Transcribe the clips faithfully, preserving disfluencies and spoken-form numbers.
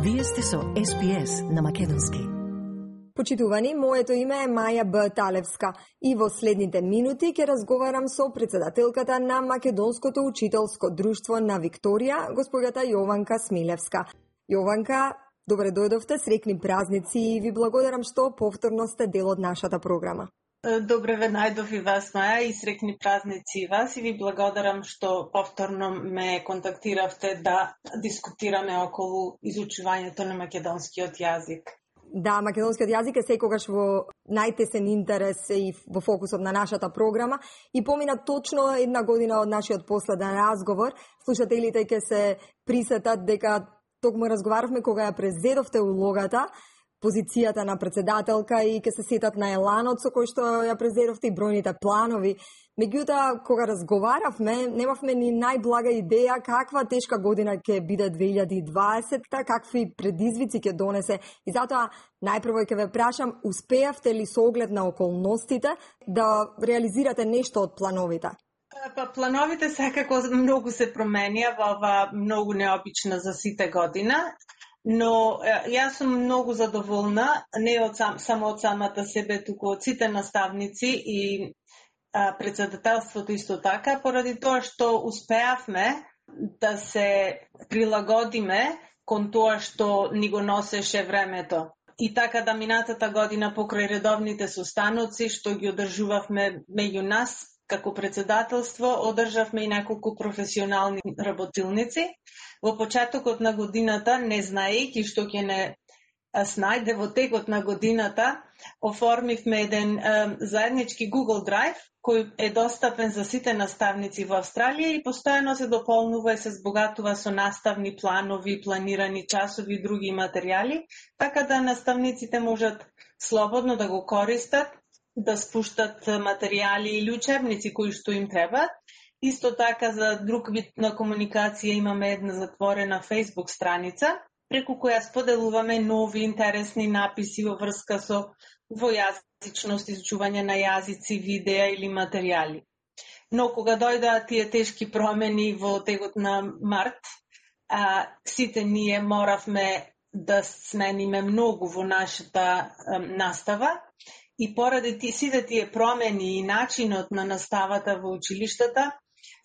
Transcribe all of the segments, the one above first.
Вие сте со Ес Би Ес на македонски. Почитувани, моето име е Маја Б. Талевска и во следните минути ќе разговарам со председателката на Македонското учителско друштво на Викторија, госпоѓата Јованка Смилевска. Јованка, добре дојдовте, среќни празници и ви благодарам што повторно сте дел од нашата програма. Добре ве најдов и вас, Маја, и среќни празници и вас, и ви благодарам што повторно ме контактиравте да дискутираме околу изучувањето на македонскиот јазик. Да, македонскиот јазик е секогаш во најтесен интерес и во фокусот на нашата програма и помина точно една година од нашиот последен разговор. Слушателите ќе се присетат дека токму разговаравме кога ја презедовте улогата, позицијата на председателка и ќе се сетат на еланот со кој што ја презедовте и бројните планови. Меѓутоа, кога разговаравме, немавме ни најблага идеја каква тешка година ќе биде две илјади и дваесетта, какви предизвици ќе донесе. И затоа, најпрво ќе ве прашам, успеавте ли со оглед на околностите да реализирате нешто од плановите? Па, плановите секако многу се променија во ова многу необична за сите година. Но јас сум многу задоволна, не од сам, само од самата себе, туку од сите наставници и а, председателството исто така, поради тоа што успеавме да се прилагодиме кон тоа што ни го носеше времето. И така да минатата година покрај редовните состаноци што ги одржувавме меѓу нас, како председателство, одржавме и неколку професионални работилници. Во почетокот на годината, не знаејќи што ќе не снајде во текот на годината, оформивме еден е, заеднички Google Drive, кој е достапен за сите наставници во Австралија и постојано се дополнува и се збогатува со наставни планови, планирани часови и други материјали, така да наставниците можат слободно да го користат, да спуштат материјали или учебници кои што им требаат. Исто така за друг вид на комуникација имаме една затворена Facebook страница, преку која споделуваме нови интересни написи во врска со двојазичност, изучување на јазици, видеа или материјали. Но кога дојдоа тие тешки промени во текот на март, а, сите ние моравме да смениме многу во нашата а, настава. И поради ти, сите тие промени и начинот на наставата во училиштата,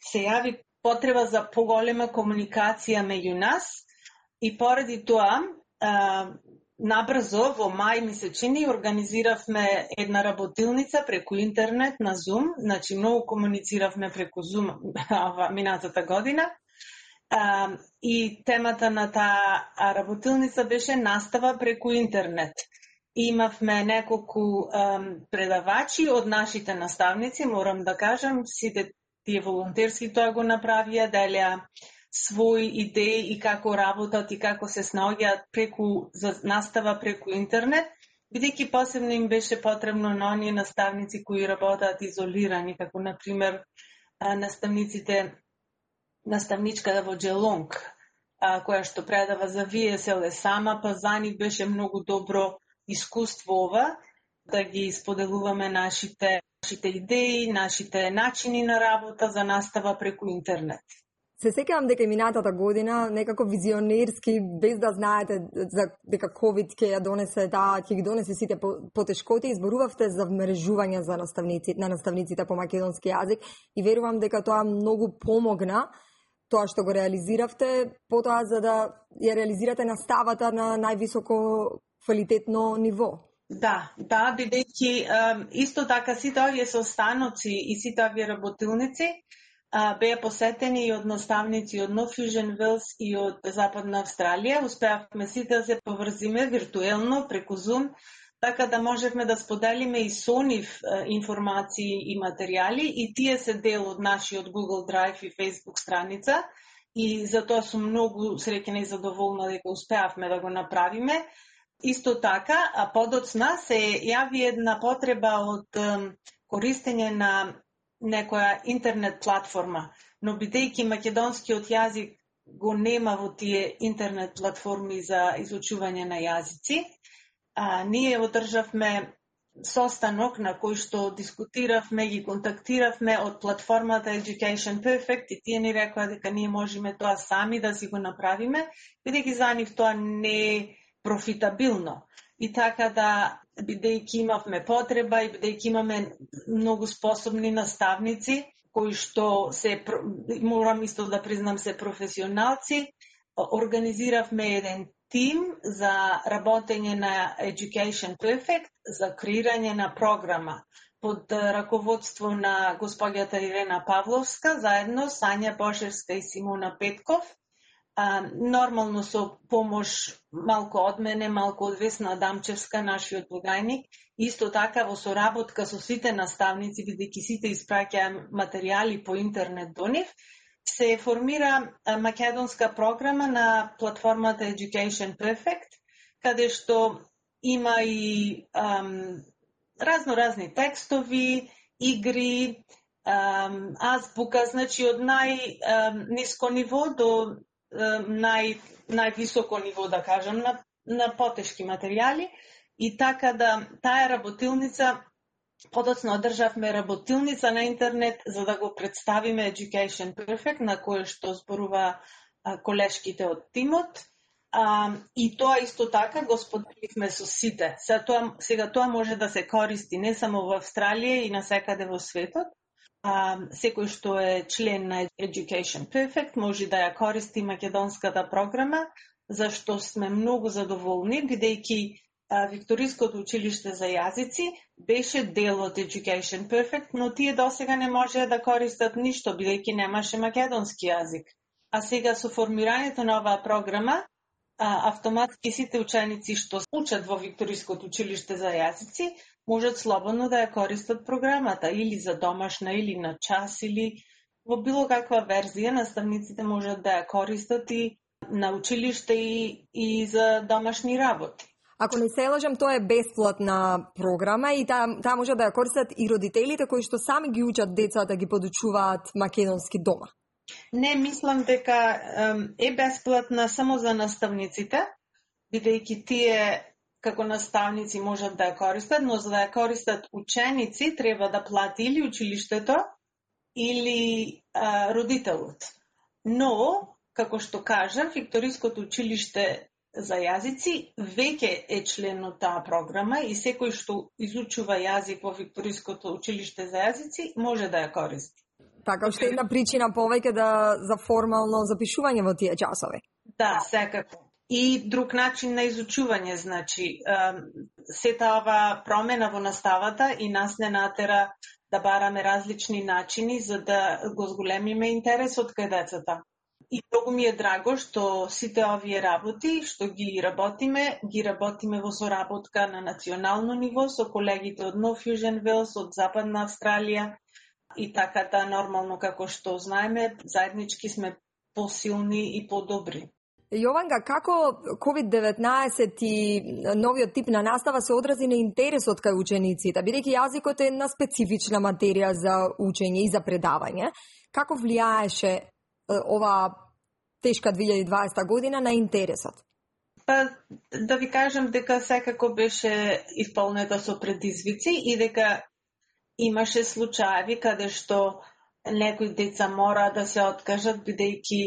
се јави потреба за поголема комуникација меѓу нас и поради тоа, а, набрзо во мај ми се чини, организиравме една работилница преку интернет на Zoom, значи многу комунициравме преку Zoom минатата година. А, и темата на таа работилница беше настава преку интернет. Имавме неколку um, предавачи од нашите наставници, морам да кажам, сите тие волонтерски тоа го направија, делеа своји идеи и како работат и како се снаоѓаат преку за настава преку интернет, бидејќи посебно им беше потребно на оние наставници кои работат изолирани, како на пример наставниците наставничката во Джелонг, која што предава за Ви Ес Ел сама, па за нив беше многу добро искуство ова, да ги споделуваме нашите, нашите идеи, нашите начини на работа за настава преку интернет. Се сеќавам дека минатата година некако визионерски, без да знаете за дека ковид ќе ја донесе, да, ќе ги донесе сите потешкоти, изборувавте за вмрежување за наставници, на наставниците по македонски јазик и верувам дека тоа многу помогна, тоа што го реализиравте, потоа за да ја реализирате наставата на највисоко квалитетно ниво. Да, да, бидејќи исто така сите овие состаноци и сите овие работилници а, беа посетени и од наставници од Нов Јужен Велс и од Западна Австралија. Успеавме сите да се поврзиме виртуелно преку Zoom, така да можевме да споделиме и со нив информации и материјали и тие се дел од нашиот Google Drive и Facebook страница и за тоа сум многу среќна и задоволна дека успеавме да го направиме. Исто така, а подоцна се јави една потреба од um, користење на некоја интернет платформа, но бидејќи македонскиот јазик го нема во тие интернет платформи за изучување на јазици, а, ние одржавме состанок на кој што дискутиравме, ги контактиравме од платформата Education Perfect и тие ни рекоа дека ние можеме тоа сами да си го направиме, бидејќи за нив тоа не е профитабилно. И така да, бидејќи имавме потреба и бидејќи имаме многу способни наставници, кои што се, морам исто да признам, се професионалци, организиравме еден тим за работење на Education Perfect, за креирање на програма под раководство на господјата Ирена Павловска, заедно Сања Бошевска и Симона Петков, а, нормално со помош малку од мене, малку од Весна Адамчевска, нашиот благајник, исто така во соработка со сите наставници, бидејќи сите испраќаа материјали по интернет до нив, се формира македонска програма на платформата Education Perfect, каде што има и ам, разно-разни текстови, игри, ам, азбука, значи од најниско ниво до ам, нај, највисоко ниво, да кажам, на, на потешки материјали. И така да таа работилница, подоцна одржавме работилница на интернет за да го представиме Education Perfect, на кој што зборува а, колешките од тимот. А, и тоа исто така го споделивме со сите. Сега тоа, сега тоа може да се користи не само во Австралија и насекаде во светот. А, секој што е член на Education Perfect може да ја користи македонската програма, зашто сме многу задоволни, бидејќи Викториското училиште за јазици беше дел од Education Perfect, но тие досега не можеа да користат ништо, бидејќи немаше македонски јазик. А сега со формирањето на оваа програма, автоматски сите ученици што учат во Викториското училиште за јазици можат слободно да ја користат програмата, или за домашна, или на час, или во било каква верзија. Наставниците можат да ја користат и на училиште и, и за домашни работи. Ако не се лажам, тоа е бесплатна програма и таа та може да ја користат и родителите кои што сами ги учат децата, ги подучуваат македонски дома. Не, мислам дека е бесплатна само за наставниците, бидејќи тие како наставници можат да ја користат, но за да ја користат ученици треба да плати или училиштето или а, родителот. Но, како што кажам, Викториското училиште за јазици веќе е член од таа програма и секој што изучува јазик во Викториското училиште за јазици може да ја користи. Така, уште една причина повеќе да за формално запишување во тие часови. Да, секако. И друг начин на изучување, значи, сета ова промена во наставата и нас не натера да бараме различни начини за да го зголемиме интересот кај децата. И многу ми е драго што сите овие работи, што ги работиме, ги работиме во соработка на национално ниво со колегите од Нов Јужен Велс, од Западна Австралија, и така да нормално, како што знаеме, заеднички сме посилни и подобри. Јованка, како ковид деветнаесет и новиот тип на настава се одрази на интересот кај учениците, бидејќи јазикот е една специфична материја за учење и за предавање, како влијаеше ова тешка две илјади и дваесета година на интересот? Па, да ви кажам дека секако беше исполнета со предизвици и дека имаше случаеви каде што некои деца мора да се откажат бидејќи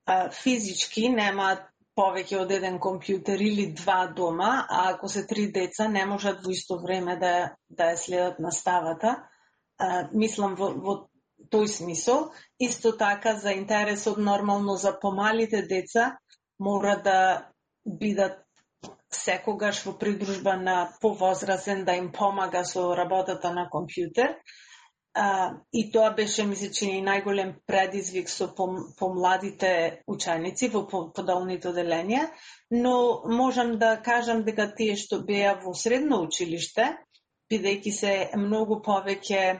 а, физички немаат повеќе од еден компјутер или два дома, а ако се три деца не можат во исто време да, да ја следат наставата. А, мислам во, во тој смисол. Исто така за интересот нормално за помалите деца мора да бидат секогаш во придружба на повозрасен да им помага со работата на компјутер. А, и тоа беше, ми се чини, најголем предизвик со помладите ученици во подолните оделенија, но можам да кажам дека тие што беа во средно училиште, бидејќи се многу повеќе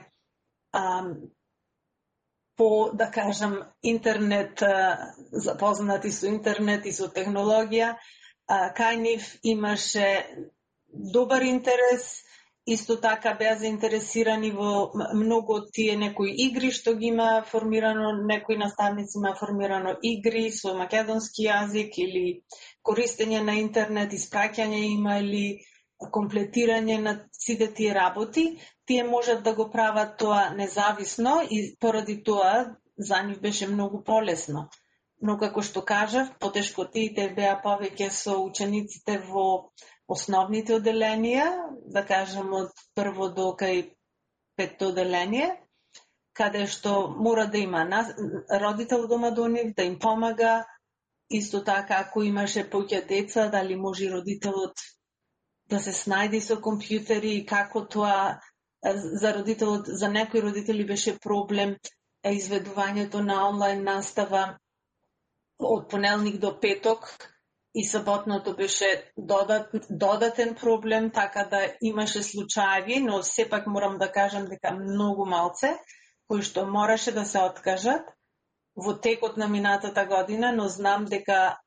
а, по, да кажам, интернет, а, запознати со интернет и со технологија, а, кај нив имаше добар интерес. Исто така беа заинтересирани во многу од тие некои игри што ги има формирано, некои наставници има формирано игри со македонски јазик или користење на интернет, испраќање има или комплетирање на сите тие работи, тие можат да го прават тоа независно и поради тоа за нив беше многу полесно. Но како што кажав, потешкотиите беа повеќе со учениците во основните одделенија, да кажем од прво до кај петто одделение, каде што мора да има родител дома до нив, да им помага. Исто така, ако имаше поќе деца, дали може родителот да се снајди со компјутери и како тоа за родителот, за некои родители беше проблем изведувањето на онлайн настава од понеделник до петок и саботното беше додат, додатен проблем, така да имаше случаи, но сепак морам да кажам дека многу малце кои што мораше да се откажат во текот на минатата година, но знам дека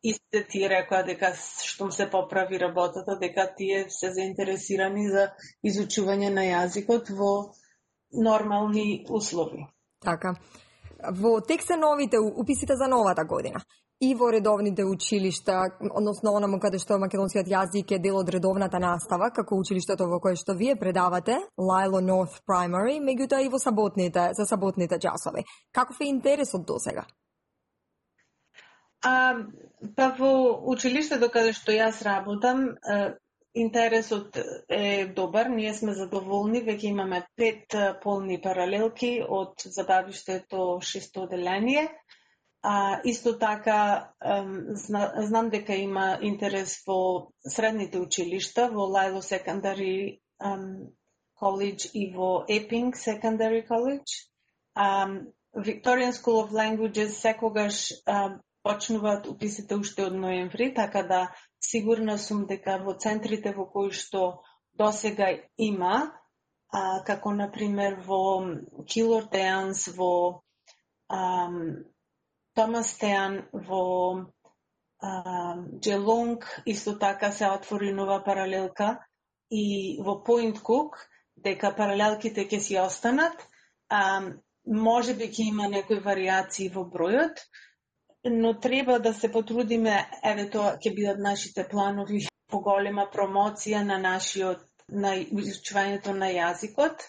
истите тие рекоа дека штом се поправи работата, дека тие се заинтересирани за изучување на јазикот во нормални услови. Така. Во текста новите уписите за новата година и во редовните училишта, односно онаму каде што македонскиот јазик е дел од редовната настава, како училиштето во кое што вие предавате, Lilo North Primary, меѓутоа и во саботните, за саботните часови. Каков е интересот досега? А, па во училиштето каде што јас работам, интересот е добар, ние сме задоволни, веќе имаме пет полни паралелки од забавиштето шесто одделение. А, исто така, зна, знам дека има интерес во средните училишта, во Lilo Secondary um, College и во Epping Secondary College. Um, Victorian School of Languages секогаш um, почнуваат уписите уште од ноември, така да сигурна сум дека во центрите во кои што досега има, а, како например во Killor Downs, во um, Томастеан, во Geelong, исто така се отвори нова паралелка и во Point Cook, дека паралелките ќе си останат. А, може би ќе има некои вариации во бројот, но треба да се потрудиме, еве тоа ќе бидат нашите планови, поголема промоција на нашиот, на изучувањето на јазикот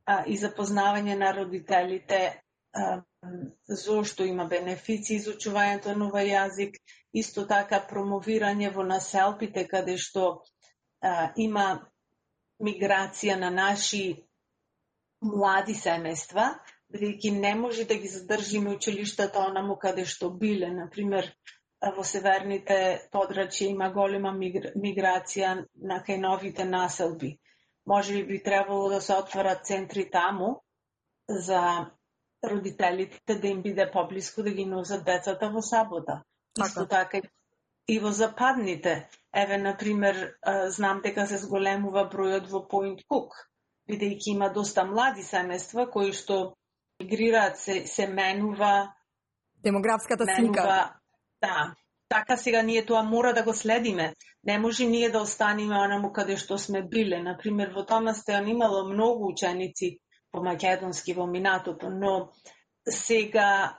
а, и запознавање на родителите а, зошто има бенефици изучувањето на овој јазик, исто така промовирање во населбите каде што а, има миграција на наши млади семејства, бидејќи не може да ги задржиме училиштата онаму каде што биле. Например, во северните подрачја има голема миграција на кај новите населби. Може би би требало да се отворат центри таму за родителите да им биде поблиску да ги носат децата во сабота. Исто така и во западните. Еве, например, знам дека се зголемува бројот во Point Cook, бидејќи има доста млади семејства кои што мигрираат, се, се менува демографската менува, слика. Да. Така сега ние тоа мора да го следиме. Не може ние да останеме онаму каде што сме биле. Например, во Томастеан имало многу ученици по македонски во минатото, но сега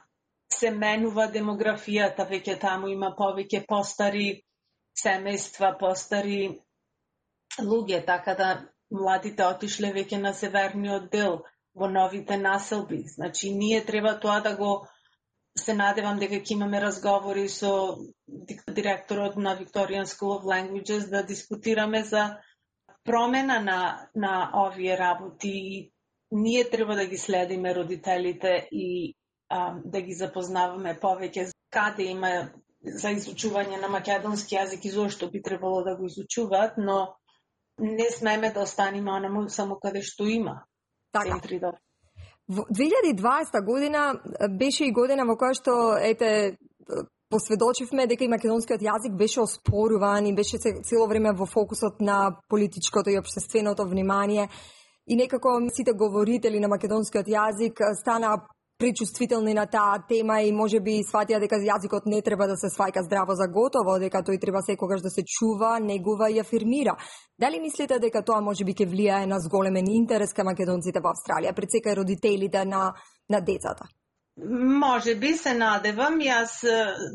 се менува демографијата, веќе таму има повеќе постари семејства, постари луѓе, така да младите отишле веќе на северниот дел, во новите населби. Значи, ние треба тоа да го се надевам дека ќе имаме разговори со директорот на Victorian School of Languages да дискутираме за промена на, на овие работи. Ние треба да ги следиме родителите и а, да ги запознаваме повеќе каде има за изучување на македонски јазик и зошто би требало да го изучуваат, но не смееме да останеме онаму само каде што има. Така. Во две илјади и дваесета година беше и година во која што ете посведочивме дека и македонскиот јазик беше оспоруван и беше цело време во фокусот на политичкото и општественото внимание и некако сите говорители на македонскиот јазик стана пречувствителни на таа тема и можеби сватија дека јазикот не треба да се сваќа здраво за готово, дека тој треба секогаш да се чува, негува и афирмира. Дали мислите дека тоа можеби ќе влијае на зголемен интерес кај македонците во Австралија, пред секај родителите на на децата? Може би се надевам, јас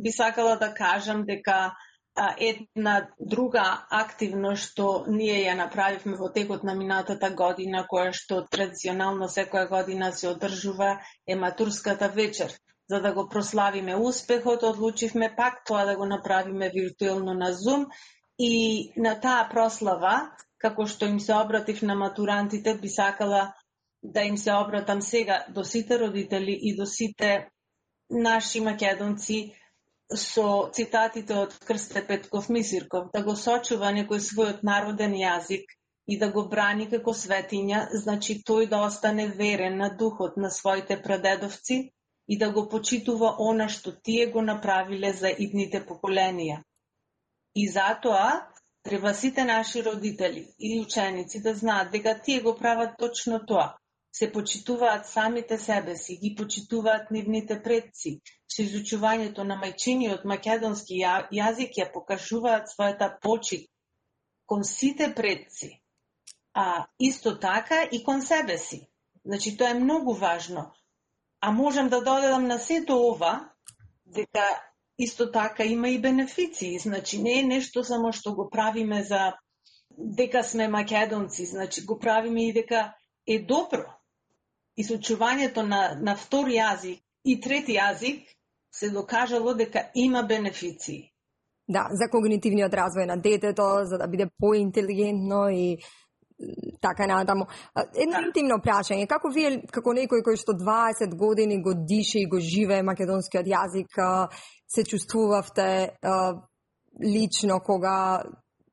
би сакала да кажам дека А една друга активност што ние ја направивме во текот на минатата година, која што традиционално секоја година се одржува, е матурската вечер. За да го прославиме успехот, одлучивме пак тоа да го направиме виртуелно на Zoom и на таа прослава, како што им се обратив на матурантите, би сакала да им се обратам сега до сите родители и до сите наши македонци со цитатите од Крсте Петков Мисирков, да го сочува некој својот народен јазик и да го брани како светиња, значи тој да остане верен на духот на своите прадедовци и да го почитува она што тие го направиле за идните поколенија. И затоа треба сите наши родители и ученици да знаат дека тие го прават точно тоа. Се почитуваат самите себе си, ги почитуваат нивните предци. Со изучувањето на мајчиниот македонски јазик ја покажуваат својата почит кон сите предци, а исто така и кон себе си. Значи, тоа е многу важно. А можам да додадам на сето ова, дека исто така има и бенефиции. Значи, не е нешто само што го правиме за дека сме македонци, значи го правиме и дека е добро. Изучувањето на, на втори јазик и трети јазик се докажало дека има бенефиции. Да, за когнитивниот развој на детето, за да биде поинтелигентно и така натаму. Едно да. Интимно прашање, како вие, како некој кој што дваесет години го дише и го живее македонскиот јазик, се чувствувавте лично кога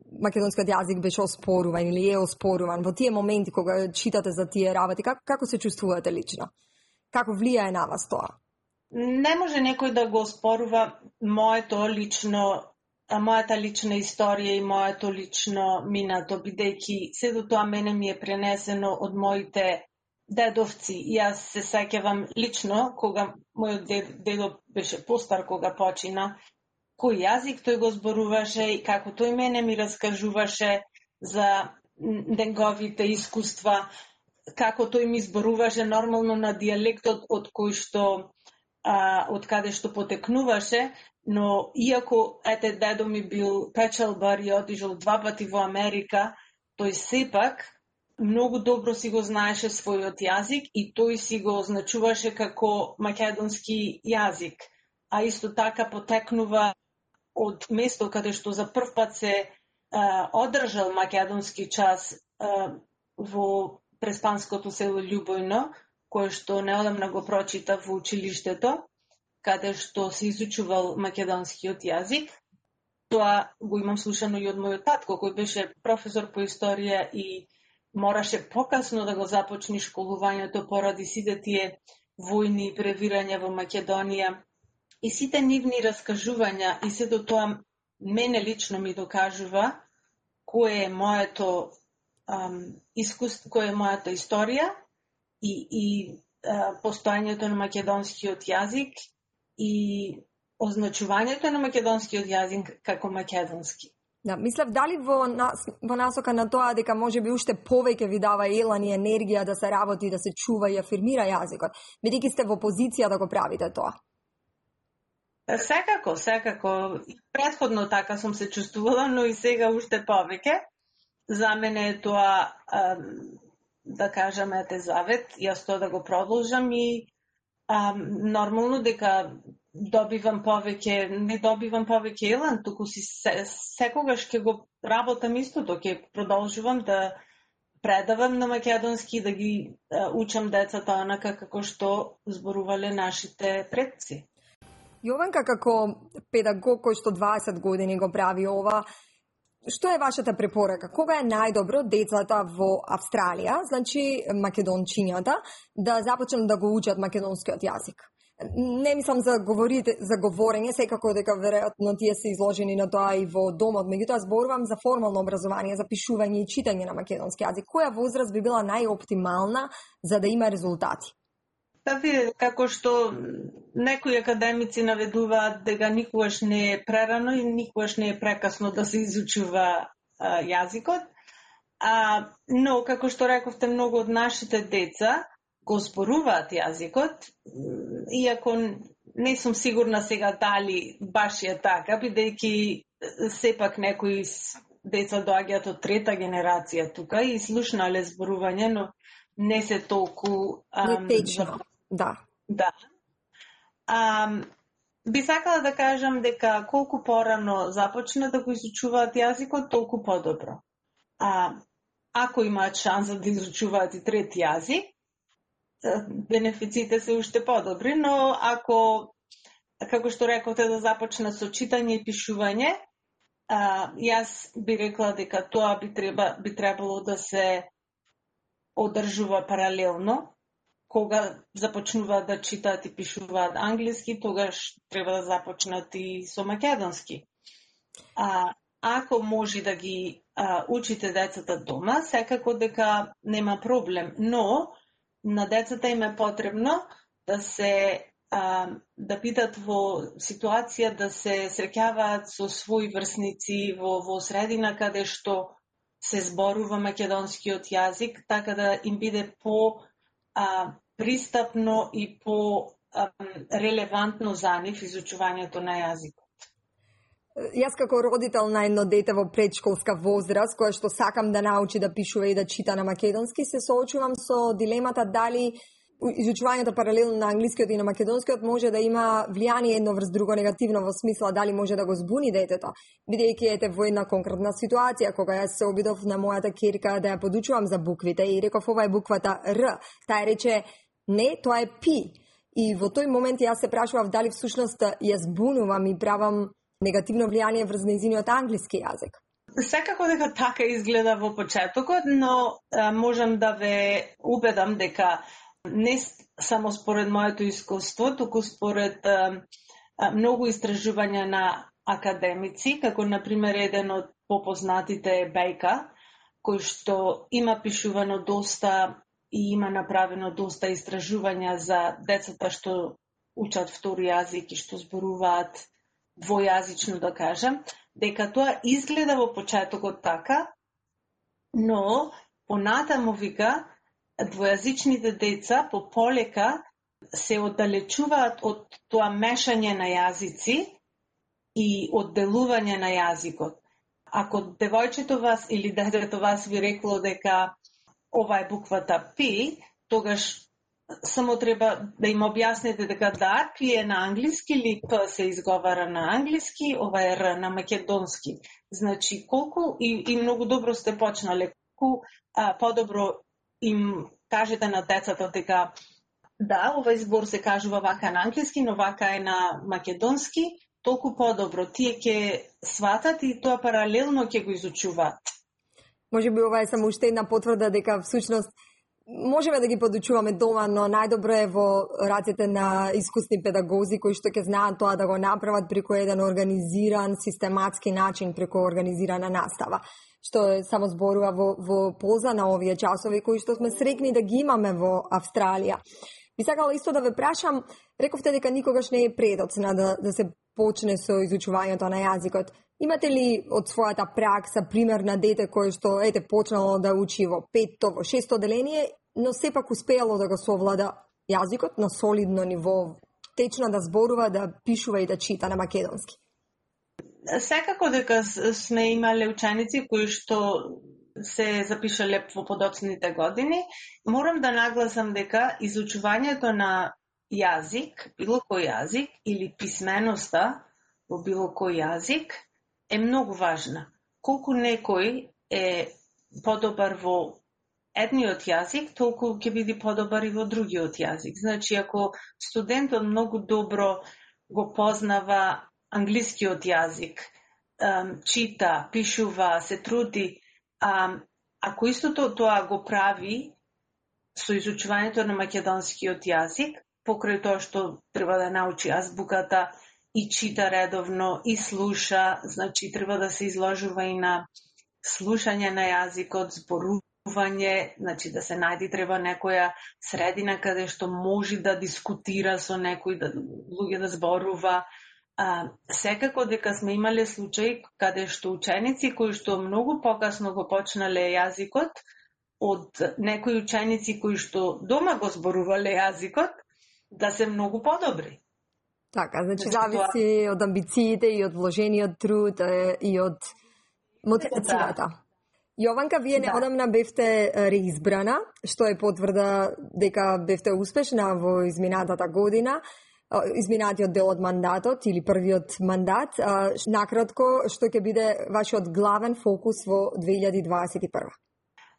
македонскиот јазик беше оспоруван или е оспоруван во тие моменти кога читате за тие работи, како, како се чувствувате лично? Како влијае на вас тоа? Не може некој да го оспорува моето лично, мојата лична историја и моето лично минато, бидејќи сето тоа мене ми е пренесено од моите дедовци. Јас се сеќавам лично кога мојот дед, дедо беше постар кога почина, кој јазик тој го зборуваше и како тој мене ми раскажуваше за неговите искуства, како тој ми зборуваше нормално на дијалектот од кој што а, од каде што потекнуваше, но иако ете дедо ми бил печалбар и отишол два пати во Америка, тој сепак многу добро си го знаеше својот јазик и тој си го означуваше како македонски јазик, а исто така потекнува од место каде што за прв пат се а, одржал македонски час а, во преспанското село Љубојно, кое што неодамна го прочита во училиштето, каде што се изучувал македонскиот јазик. Тоа го имам слушано и од мојот татко, кој беше професор по историја и мораше покасно да го започне школувањето поради сите тие војни и превирања во Македонија. И сите нивни раскажувања и сето тоа мене лично ми докажува кој е моето ам, искуство, кој е мојата историја и, и а, постојањето на македонскиот јазик и означувањето на македонскиот јазик како македонски. Да, мислев дали во, нас, во насока на тоа дека може би уште повеќе ви дава елан и енергија да се работи, да се чува и афирмира јазикот, бидејќи сте во позиција да го правите тоа. Секако, секако. Претходно така сум се чувствувала, но и сега уште повеќе. За мене е тоа, да кажаме, ете завет, јас тоа да го продолжам и а, нормално дека добивам повеќе, не добивам повеќе елан, туку си се, секогаш ќе го работам истото, ќе продолжувам да предавам на македонски, да ги а, учам децата онака како што зборувале нашите предци. Јованка, како педагог кој што дваесет години го прави ова, што е вашата препорака? Кога е најдобро децата во Австралија, значи македончињата, да започнат да го учат македонскиот јазик? Не мислам за говорите, за говорење, секако дека веројатно тие се изложени на тоа и во домот, меѓутоа зборувам за формално образование, за пишување и читање на македонски јазик. Која возраст би била најоптимална за да има резултати? Да видите, како што некои академици наведуваат дека никогаш не е прерано и никогаш не е прекасно да се изучува а, јазикот, а, но како што рековте, многу од нашите деца го зборуваат јазикот, иако не сум сигурна сега дали баш е така, бидејќи сепак некои деца доаѓаат од трета генерација тука и слушнале зборување, но не се толку ам, течно, да. Да. Ам, би сакала да кажам дека колку порано започна да го изучуваат јазикот, толку подобро. А, ако имаат шанса да изучуваат и трети јазик, бенефициите се уште подобри, но ако, како што рековте, да започна со читање и пишување, а, јас би рекла дека тоа би, треба, би требало да се одржува паралелно. Кога започнуваат да читаат и пишуваат англиски, тогаш треба да започнат и со македонски. А, ако може да ги а, учите децата дома, секако дека нема проблем, но на децата им е потребно да се а, да бидат во ситуација да се среќаваат со своји врсници во, во средина каде што се зборува македонскиот јазик, така да им биде по а, пристапно и по а, релевантно за нив изучувањето на јазикот. Јас како родител на едно дете во предшколска возраст, кое што сакам да научи да пишува и да чита на македонски, се соочувам со дилемата дали изучувањето паралелно на англискиот и на македонскиот може да има влијание едно врз друго негативно, во смисла дали може да го збуни детето. Бидејќи ете во една конкретна ситуација, кога јас се обидов на мојата ќерка да ја подучувам за буквите и реков ова е буквата Р, таа рече не, тоа е Пи. И во тој момент јас се прашував дали всушност ја збунувам и правам негативно влијание врз нејзиниот англиски јазик. Секако дека така изгледа во почетокот, но а, можам да ве убедам дека не само според моето искуство, туку според а, а, многу истражувања на академици, како например еден од попознатите е Бейка, кој што има пишувано доста и има направено доста истражувања за децата што учат втори јазик и што зборуваат двојазично, да кажем, дека тоа изгледа во почетокот така, но понатаму вика двојазичните деца по полека се оддалечуваат од тоа мешање на јазици и одделување на јазикот. Ако девојчето вас или детето вас ви рекло дека ова е буквата Пи, тогаш само треба да им објасните дека да, Пи е на англиски или П се изговара на англиски, ова е Р на македонски. Значи, колку и, и многу добро сте почнале, колку а, подобро им кажете на децата дека да, овој збор се кажува вака на англиски, но вака е на македонски, толку подобро. Тие ќе сватат и тоа паралелно ќе го изучуваат. Може би ова е само уште една потврда дека всушност можеме да ги подучуваме дома, но најдобро е во рацете на искусни педагози кои што ќе знаат тоа да го направат преку еден организиран, систематски начин, преку организирана настава, што е само зборува во, во полза на овие часови кои што сме срекни да ги имаме во Австралија. Би сакала исто да ве прашам, рековте дека никогаш не е предоцна да, да се почне со изучувањето на јазикот. Имате ли од својата пракса пример на дете кое што ете почнало да учи во петто, во шесто деление, но сепак успеало да го совлада јазикот на солидно ниво, течно да зборува, да пишува и да чита на македонски? Секако дека сме имале ученици кои што се запишале во подоцните години. Морам да нагласам дека изучувањето на јазик, било кој јазик, или писменоста во било кој јазик е многу важна. Колку некој е подобар во едниот јазик, толку ќе биде подобар и во другиот јазик. Значи, ако студентот многу добро го познава англискиот јазик, чита, пишува, се труди, ако истото тоа го прави со изучувањето на македонскиот јазик, покрај тоа што треба да научи азбуката и чита редовно и слуша, значи треба да се изложува и на слушање на јазикот, зборување, значи да се најди треба некоја средина каде што може да дискутира со некој, да луѓе да зборува. А, секако дека сме имале случаи каде што ученици кои што многу покасно го почнале јазикот, од некои ученици кои што дома го зборувале јазикот, да се многу подобри. Така, значи Значи, зависи од амбициите и од вложениот труд е, и од мотивацијата. Јованка, вие Да. неодамна бевте е, реизбрана, што е потврда дека бевте успешна во изминатата година, е, изминатиот дел од мандатот или првиот мандат. Е, Накратко, што ќе биде вашиот главен фокус во две илјади дваесет и прва?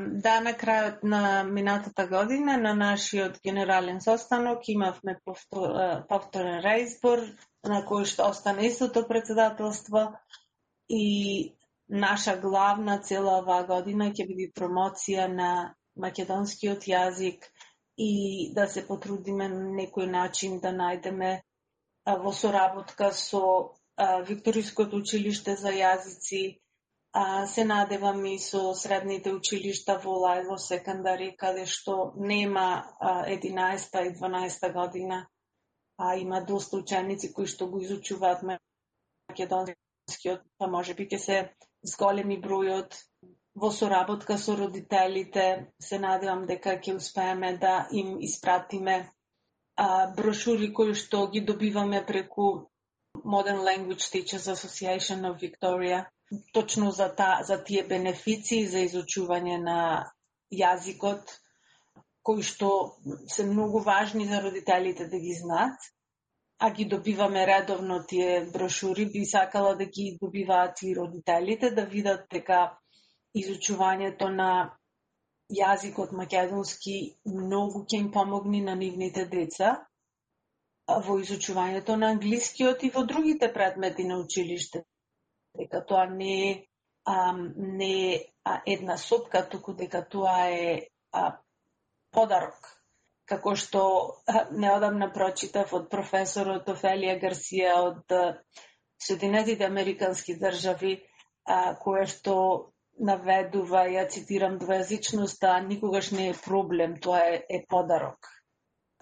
Да, на крајот на минатата година на нашиот генерален состанок имавме повтор, е, повторен реизбор на кој што остана истото председателство и наша главна цела оваа година ќе биде промоција на македонскиот јазик и да се потрудиме на некој начин да најдеме а, во соработка со а, Викториското училиште за јазици. А, се надевам и со средните училишта во Лајло секондари, каде што нема а, единаесета и дванаесета година, а има доста ученици кои што го изучуваат македонскиот, па може би ќе се зголеми бројот. Во соработка со родителите се надевам дека ќе успееме да им испратиме а, брошури кои што ги добиваме преку Modern Language Teachers Association of Victoria, точно за, та, за тие бенефиции за изучување на јазикот, кои што се многу важни за родителите да ги знаат, а ги добиваме редовно тие брошури. Би сакала да ги добиваат и родителите, да видат дека изучувањето на јазикот македонски многу ќе им помогне на нивните деца во изучувањето на англискиот и во другите предмети на училиште. Дека тоа не е, а, не е а, една сопка, туку дека тоа е а, подарок. Како што а, неодамна прочитав од професорот Офелија Гарсија од а, Соединетите Американски држави, а, кое што наведува, ја цитирам, двојазичноста никогаш не е проблем, тоа е, е подарок.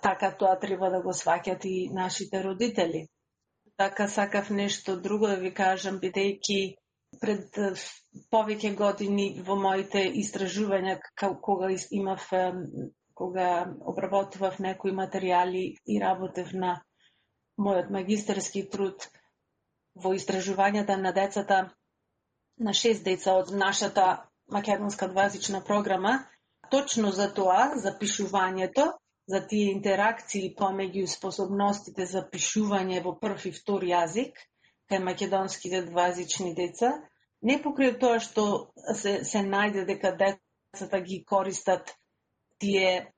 Така тоа треба да го сваќат и нашите родители. Така сакав нешто друго да ви кажам, бидејќи пред повеќе години во моите истражувања, кога имав, кога обработував некои материјали и работев на мојот магистерски труд во истражувањата на децата, на шест деца од нашата македонска двојазична програма, точно за тоа, за пишувањето, за тие интеракции помеѓу способностите за пишување во прв и втор јазик кај македонските двојазични деца, не покрај тоа што се, се најде дека децата ги користат тие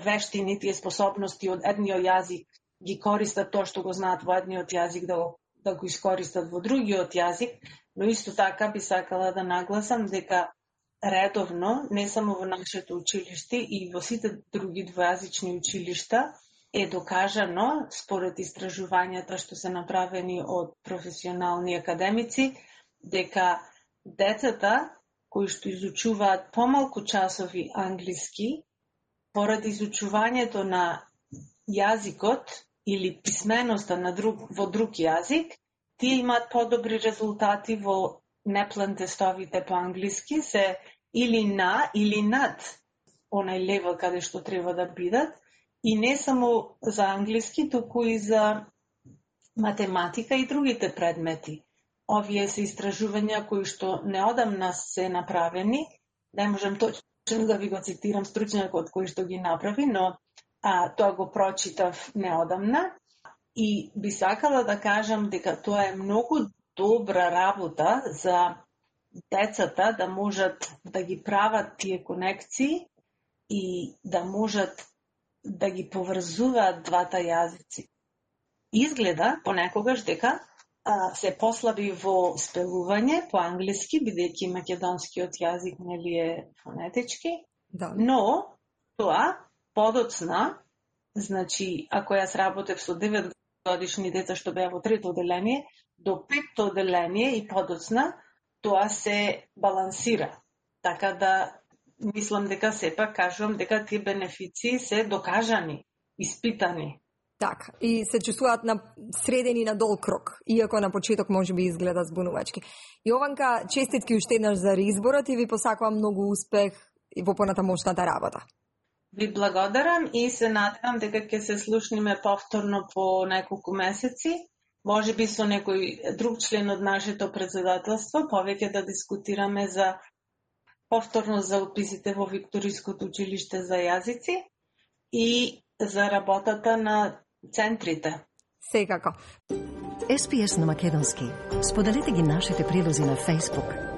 вештини, тие способности од едниот јазик, ги користат тоа што го знаат во едниот јазик да го, да го искористат во другиот јазик, но исто така би сакала да нагласам дека редовно, не само во нашето училиште и во сите други двојазични училишта, е докажано, според истражувањата што се направени од професионални академици, дека децата кои што изучуваат помалку часови англиски, поради изучувањето на јазикот или писменоста на друг, во друг јазик, тие имаат подобри резултати во неплан тестовите по англиски, се или на или над онај левел каде што треба да бидат, и не само за англиски, туку и за математика и другите предмети. Овие се истражувања кои што неодамна се направени, не можам точно да ви го цитирам стручњакот кој што ги направи, но а, тоа го прочитав неодамна и би сакала да кажам дека тоа е многу добра работа за децата да можат да ги прават тие конекции и да можат да ги поврзуваат двата јазици. Изгледа понекогаш дека а, се послаби во спелување по англиски, бидејќи македонскиот јазик нели е фонетички, Да. но тоа подоцна, значи ако јас работев со девет годишни деца што беа во трето оделение, до петто оделение и подоцна, тоа се балансира. Така да мислам дека сепак кажувам дека тие бенефиции се докажани, испитани. Така, и се чувствуваат на средени на дол крок, иако на почеток може би изгледа збунувачки. Јованка, честитки уште еднаш за реизборот и ви посакувам многу успех и во понатамошната работа. Ви благодарам и се надевам дека ќе се слушниме повторно по неколку месеци, може би со некој друг член од нашето председателство, повеќе да дискутираме за повторно за уписите во Викториското училиште за јазици и за работата на центрите. Секако. Ес Би Ес на македонски. Споделете ги нашите прилози на Facebook,